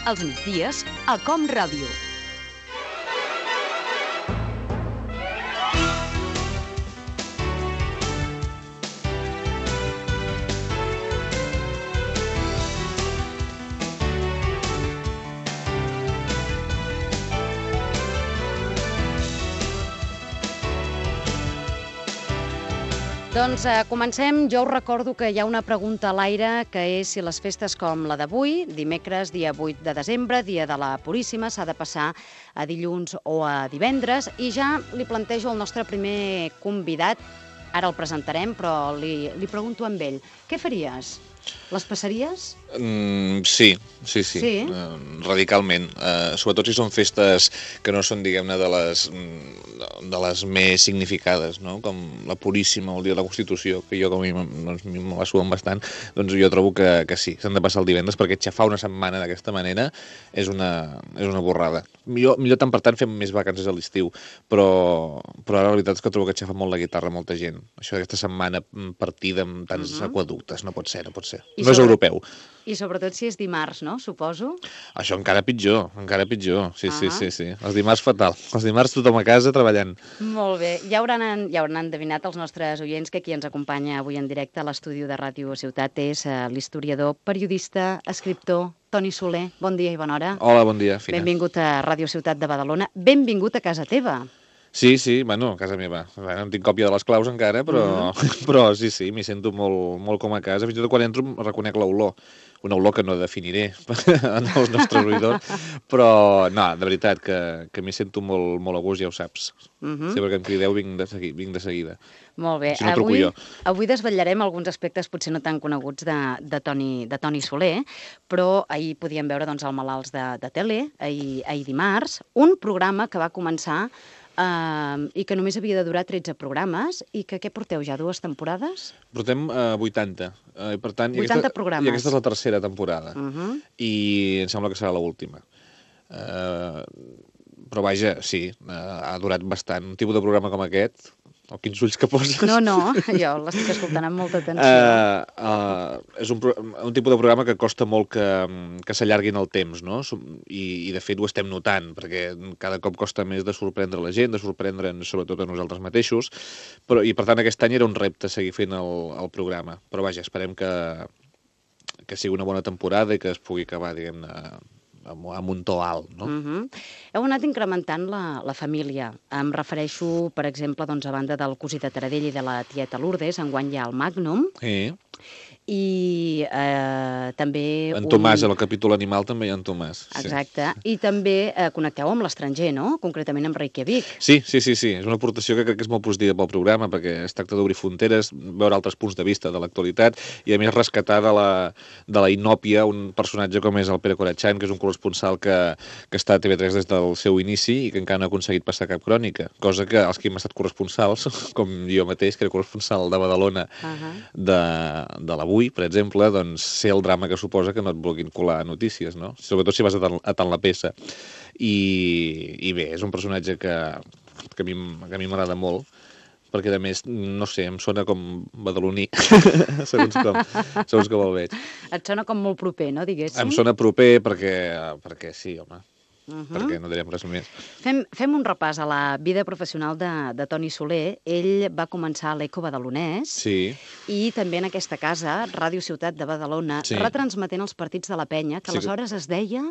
als migdies, a Com Ràdio. Doncs comencem. Jo us recordo que hi ha una pregunta a l'aire, que és si les festes com la d'avui, dimecres, dia 8 de desembre, dia de la Puríssima, s'ha de passar a dilluns o a divendres. I ja li plantejo al nostre primer convidat, ara el presentarem, però li pregunto amb ell, què faries? Les passaries? Sí. Radicalment. Sobretot si són festes que no són, diguem-ne, de les més significades, no? Com la Puríssima o el dia de la Constitució, que jo com a mi me la suden bastant, doncs jo trobo que sí, s'han de passar el divendres, perquè xafar una setmana d'aquesta manera és una borrada. Millor tant per tant fem més vacances a l'estiu, però ara la veritat és que trobo que xafa molt la guitarra a molta gent. Això d'aquesta setmana partida amb tants aquaductes, no pot ser. No és europeu. I sobretot si és dimarts, no? Suposo. Això encara pitjor. Sí. Els dimarts fatal. Els dimarts tothom a casa treballant. Molt bé. Ja hauran endevinat els nostres oients que qui ens acompanya avui en directe a l'estudi de Ràdio Ciutat és l'historiador, periodista, escriptor, Toni Soler. Bon dia i bona hora. Hola, bon dia, Fina. Benvingut a Ràdio Ciutat de Badalona. Benvingut a casa teva. Sí, bueno, a casa meva. No tinc còpia de les claus encara, però sí, m'hi sento molt com a casa. Fins i tot quan entro reconec l'olor. Una olor que no definiré en els nostres oïdors, però no, de veritat, que m'hi sento molt a gust, ja ho saps. Sempre que em crideu vinc de seguida. Molt bé. Si no, truco jo. Avui desvetllarem alguns aspectes potser no tan coneguts de Toni Soler, però ahir podíem veure els malalts de tele, ahir dimarts, un programa que va començar i que només havia de durar 13 programes i que què porteu ja, 2 temporades? Portem 80. Per tant, 80 programes. I aquesta és la tercera temporada. I em sembla que serà l'última. Però vaja, sí, ha durat bastant. Un tipus de programa com aquest, o quins ulls que poses... No, jo l'estic escoltant amb molta atenció. És un tipus de programa que costa molt que s'allarguin el temps, no? I de fet ho estem notant, perquè cada cop costa més de sorprendre la gent, de sorprendre'ns sobretot a nosaltres mateixos, i per tant aquest any era un repte seguir fent el programa. Però vaja, esperem que sigui una bona temporada i que es pugui acabar, diguem-ne, amb un to alt, no? Heu anat incrementant la família. Em refereixo, per exemple, a banda del cosí de Taradell i de la tieta Lourdes, enguany hi ha el Magnum, i també... En Tomàs, al capítol animal també hi ha en Tomàs. Exacte. I també connecteu amb l'estranger, no? Concretament amb Reykjavik. Sí. És una aportació que crec que és molt positiva pel programa, perquè es tracta d'obrir fronteres, veure altres punts de vista de l'actualitat, i a més rescatar de la inòpia un personatge com és el Pere Corachán, que és un corresponsal que està a TV3 des del seu inici i que encara no ha aconseguit passar cap crònica, cosa que els que hem estat corresponsals, com jo mateix, que era corresponsal de Badalona de l'Avui, per exemple, doncs sé el drama que suposa que no et vulguin colar notícies, no? Sobretot si vas a tant la peça. I bé, és un personatge que a mi m'agrada molt, perquè a més, no sé, em sona com badaloní, segons com el veig. Et sona com molt proper, no, diguéssim? Em sona proper perquè sí, home. Perquè no direm res més. Fem un repàs a la vida professional de Toni Soler. Ell va començar a l'Eco Badalonès i també en aquesta casa, Ràdio Ciutat de Badalona, retransmetent els partits de la Penya, que aleshores es deia...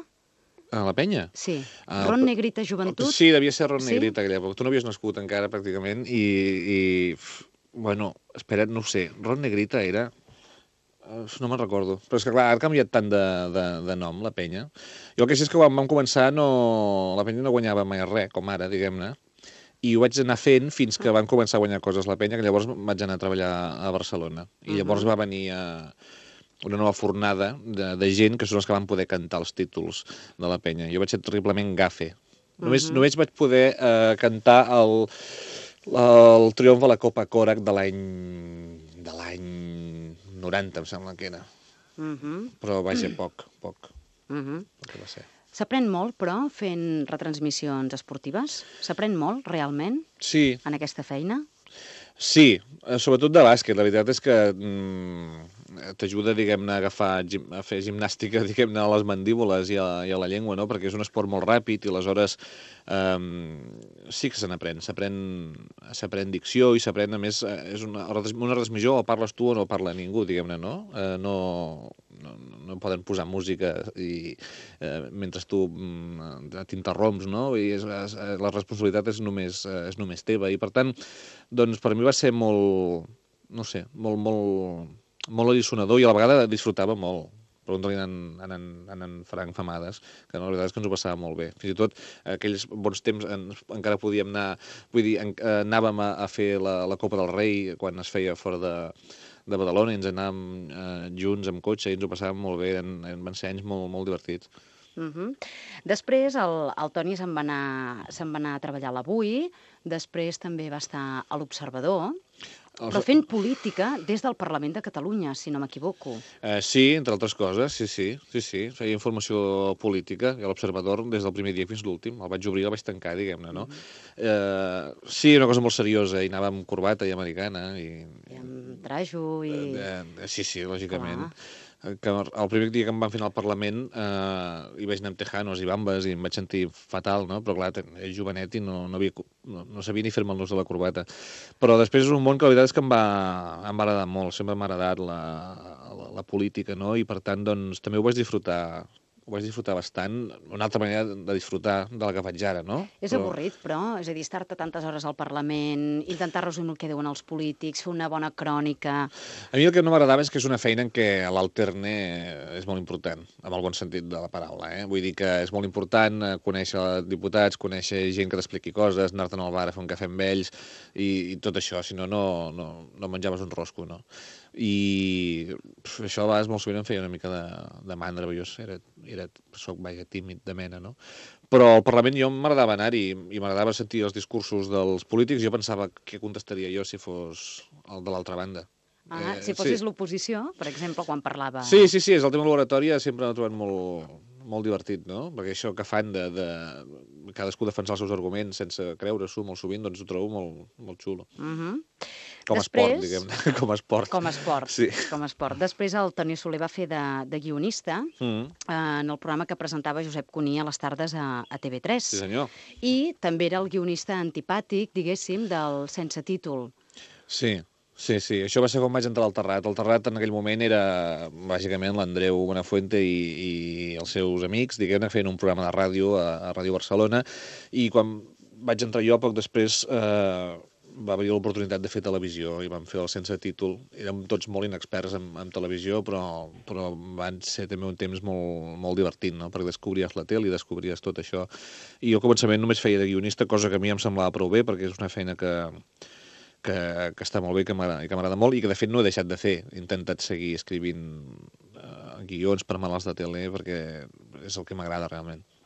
A la Penya? Sí. Ron Negrita Joventut? Sí, devia ser Ron Negrita aquella època. Tu no havies nascut encara, pràcticament, i bueno, espera't, no ho sé. Ron Negrita era... No me'n recordo. Però és que, clar, ha canviat tant de nom, la Penya. Jo el que sé és que quan vam començar la Penya no guanyava mai res, com ara, diguem-ne, i ho vaig anar fent fins que van començar a guanyar coses la Penya, que llavors vaig anar a treballar a Barcelona. I llavors va venir una nova fornada de gent que són els que van poder cantar els títols de la Penya. Jo vaig ser terriblement gafe. Només vaig poder cantar el triomf de la Copa Korak de l'any 90, em sembla que era. Però vaja, poc. Que va ser. S'aprèn molt, però, fent retransmissions esportives? S'aprèn molt, realment, en aquesta feina? Sí, sobretot de bàsquet. La veritat és que t'ajuda, diguem-ne, a fer gimnàstica, diguem-ne, a les mandíbules i a la llengua, no? Perquè és un esport molt ràpid i aleshores sí que se n'aprèn. S'aprèn dicció i s'aprèn, a més, és una retransmissió, o parles tu o no parla ningú, diguem-ne, no? No poden posar música mentre tu t'interromps, no? I la responsabilitat és només teva. I, per tant, doncs, per mi va ser molt, no sé, molt alliçonador i a la vegada disfrutava molt. Pregunta-li a en Frank Famades, que no, la veritat és que ens ho passàvem molt bé. Fins i tot aquells bons temps encara podíem anar... Vull dir, anàvem a fer la Copa del Rei quan es feia fora de Badalona i ens anàvem junts amb cotxe i ens ho passàvem molt bé. Van ser anys molt divertits. Després el Toni se'n va anar a treballar a l'Avui, després també va estar a l'Observador, però fent política des del Parlament de Catalunya, si no m'equivoco. Sí, entre altres coses, sí. Feia informació política i a l'Observador des del primer dia fins l'últim. El vaig obrir i el vaig tancar, diguem-ne, no? Sí, una cosa molt seriosa, i anava amb corbata i americana. I amb trajo i... Sí, lògicament. Que el primer dia que em van fer anar al Parlament hi vaig anar amb tejanos i bambes i em vaig sentir fatal, no? Però clar, és jovenet i no sabia ni fer-me el nus de la corbata. Però després és un món que la veritat és que em va agradar molt, sempre m'ha agradat la política, no? I per tant, doncs, també ho vaig disfrutar bastant, una altra manera de disfrutar de la que faig ara, no? És avorrit, però, és a dir, estar-te tantes hores al Parlament, intentar resumir el que diuen els polítics, fer una bona crònica... A mi el que no m'agradava és que és una feina en què l'alterne és molt important, amb el bon sentit de la paraula, eh? Vull dir que és molt important conèixer diputats, conèixer gent que t'expliqui coses, anar-te'n al bar a fer un cafè amb ells i tot això, si no menjaves un rosco, no? I això a vegades molt sovint em feia una mica de mandra, jo soc tímid de mena, no? Però al Parlament jo m'agradava anar-hi i m'agradava sentir els discursos dels polítics. Jo pensava què contestaria jo si fos el de l'altra banda. Si fossis l'oposició, per exemple, quan parlava... Sí, és el tema de l'oratòria sempre l'he trobat molt divertit, no? Perquè això que fan de cadascú defensar els seus arguments sense creure-s'ho molt sovint, doncs ho trobo molt xulo. Com a esport, diguem-ne, com a esport. Com a esport, sí. Com a esport. Després el Toni Soler va fer de guionista en el programa que presentava Josep Cuní a les tardes a TV3. Sí, senyor. I també era el guionista antipàtic, diguéssim, del Sense títol. Sí, això va ser quan vaig entrar al Terrat. El Terrat en aquell moment era, bàsicament, l'Andreu Buenafuente i els seus amics, diguem-ne, feien un programa de ràdio a Ràdio Barcelona, i quan vaig entrar jo, poc després va haver l'oportunitat de fer televisió i vam fer el Sense títol. Érem tots molt inexperts en televisió, però van ser també un temps molt divertit, no? Perquè descobries la tele i descobries tot això. I jo al començament només feia de guionista, cosa que a mi em semblava prou bé, perquè és una feina que està molt bé i que m'agrada molt i que de fet no he deixat de fer. He intentat seguir escrivint guions per malalts de tele perquè és el que m'agrada realment.